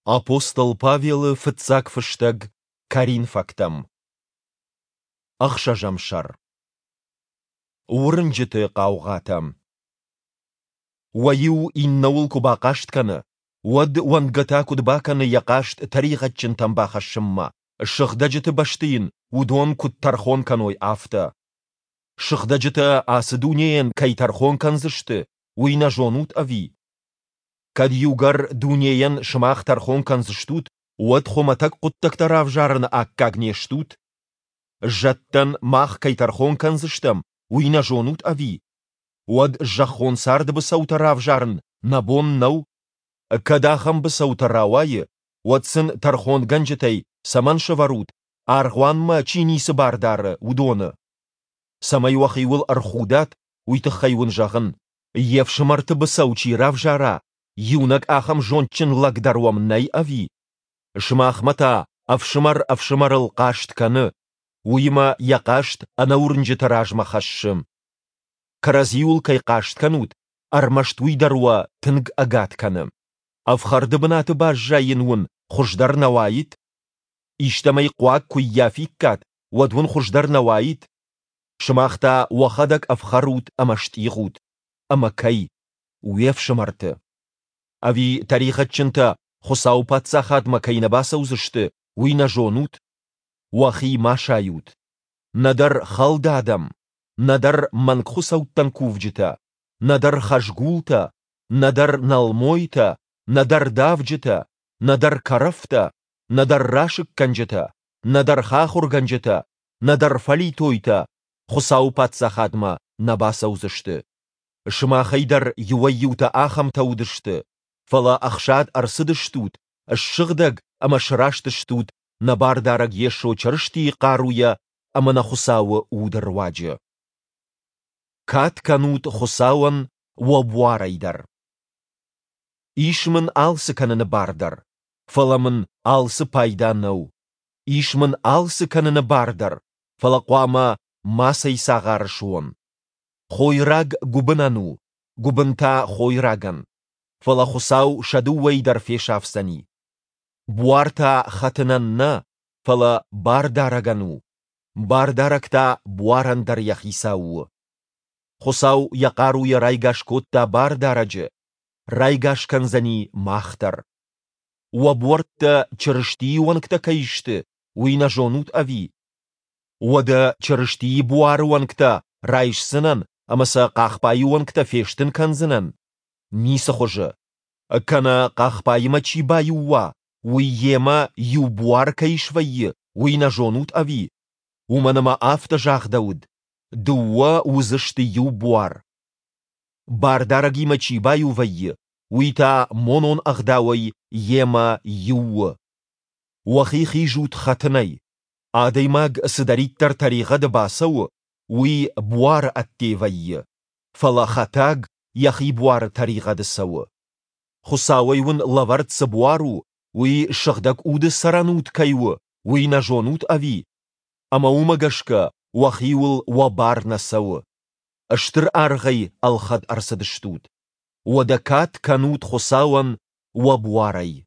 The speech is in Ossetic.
Апостол Павелы фыццаг фыстӕг Коринфӕгтӕм. Ӕхсӕзӕм сӕр. Уырнджыты хъаугъатӕ. Уӕ иу иннӕуыл куы бахъаст кӕны, уӕд уӕндгӕ та куыд бакӕны йӕ хъаст тӕригъӕдджынтӕм бахӕссынмӕ, сыгъдӕджыты бӕсты йын уыдон куыд тӕрхон кӕной, афтӕ? Сыгъдӕджытӕ ацы дунейӕн кӕй тӕрхон кӕндзысты, уый нӕ зонут ӕви? Кӕд иугӕр дунейӕн сымах тӕрхон кӕндзыстут, уӕд хуымӕтӕг хъуыддӕгтӕ равзарыны аккаг не стут? Зӕдтӕн мах кӕй тӕрхон кӕндзыстӕм, уый нӕ зонут ӕви? Уӕд зӕххон царды быцӕутӕ равзарын нӕ бон нӕу? Кӕд ахӕм быцӕутӕ рауайы, уӕд сын тӕрхонгӕнджытӕй цӕмӕн сӕвӕрут, аргъуанмӕ чи ницы бар дары, уыдоны? Цӕмӕй уӕхиуыл ӕрхудат, уый тыххӕй уын зӕгъын, йе фсымӕрты быцӕу чи равзара, иунӕг ахӕм зондджын лӕг дӕр уӕм нӕй ӕви? Сымахмӕ та ӕфсымӕр ӕфсымӕрыл хъаст кӕны, уыимӕ йӕ хъаст ӕнӕуырнджыты размӕ хӕссы. Кӕрӕдзиуыл кӕй хъаст кӕнут, ӕрмӕст уый дӕр уӕ тынг ӕгад кӕны. Ӕфхӕрды бынаты баззайын уын хуыздӕр нӕ уаид? Истӕмӕй хъуаг куы ййафиккат, уӕд уын хуыздӕр нӕ уаид? Сымах та уӕхӕдӕг ӕфхӕрут ӕмӕ стъигъут. Ӕмӕ кӕй? Уе фсымӕрты. Ӕви тӕригъӕдджынтӕ Хуыцауы Паддзахадмӕ кӕй нӕ бацӕудзысты, уый нӕ зонут? Уӕхи ма сайут. Нӕдӕр хӕлд адӕм, нӕдӕр мӕнгхуыцӕуттӕн кувджытӕ, нӕдӕр хӕзгултӕ, нӕдӕр нӕлмойтӕ, нӕдӕр давджытӕ, нӕдӕр кӕрӕфтӕ, нӕдӕр расыггӕнджытӕ, нӕдӕр хахуыргӕнджытӕ, нӕдӕр фӕлитойтӕ Хуыцауы Паддзахадмӕ нӕ бацӕудзысты. Сымахӕй дӕр иуӕй-иутӕ ахӕмтӕ уыдысты, фӕлӕ ӕхсад ӕрцыдыстут, ссыгъдӕг ӕмӕ сраст стут нӕ Бардарӕг Йесо Чырыстийы хъаруйӕ ӕмӕ нӕ Хуыцауы Уды руаджы. Кад кӕнут Хуыцауӕн уӕ буарӕй дӕр. Ис мын алцы кӕныны бар дӕр, фӕлӕ мын алцы пайда нӕу. Ис мын алцы кӕныны бар дӕр, фӕлӕ хъуамӕ мацӕй цагъар суон. Хойраг гуыбынӕн у, гуыбын та хойрагӕн. Фӕлӕ Хуыцау сӕ дыууӕйы дӕр фесафдзӕни. Буар та хӕтынӕн нӕ, фӕлӕ бардарӕгӕн у, бардарӕг та буарӕн дӕр йӕ хицау у. Хуыцау йӕ хъаруйӕ райгас кодта бардарӕджы, райгас кӕндзӕни мах дӕр. Уӕ буӕрттӕ Чырыстийы уӕнгтӕ кӕй сты, уый нӕ зонут ӕви? Уӕдӕ Чырыстийы буары уӕнгтӕ райсдзынӕн ӕмӕ сӕ хъахбайы уӕнгтӕ фестын кӕндзынӕн? Ницы хуызы. Кӕнӕ хъахбаимӕ чи баиу уа, уый йемӕ иу буар кӕй свӕййы, уый нӕ зонут ӕви? Уымӕн ӕмӕ афтӕ загъдӕуыд: дыууӕ уыдзысты иу буар. Бардарӕгимӕ чи баиу вӕййы, уый та монон ӕгъдауӕй йемӕ иу у. Уӕхи хизут хӕтынӕй. Адӕймаг цыдӕриддӕр тӕригъӕды бацӕуы, уый буары ӕдде вӕййы, фӕлӕ хӕтаг йӕхи буары тӕригъӕды цӕуы. Хуыцауӕй уын лӕвӕрд цы буар у, уый Сыгъдӕг Уды цӕрӕнуд кӕй у, уый нӕ зонут ӕви? Ӕмӕ уымӕ гӕсгӕ уӕхиуыл уӕ бар нӕ цӕуы. Стыр аргъӕй ӕлхӕд ӕрцыдыстут. Уӕдӕ кад кӕнут Хуыцауӕн уӕ буарӕй.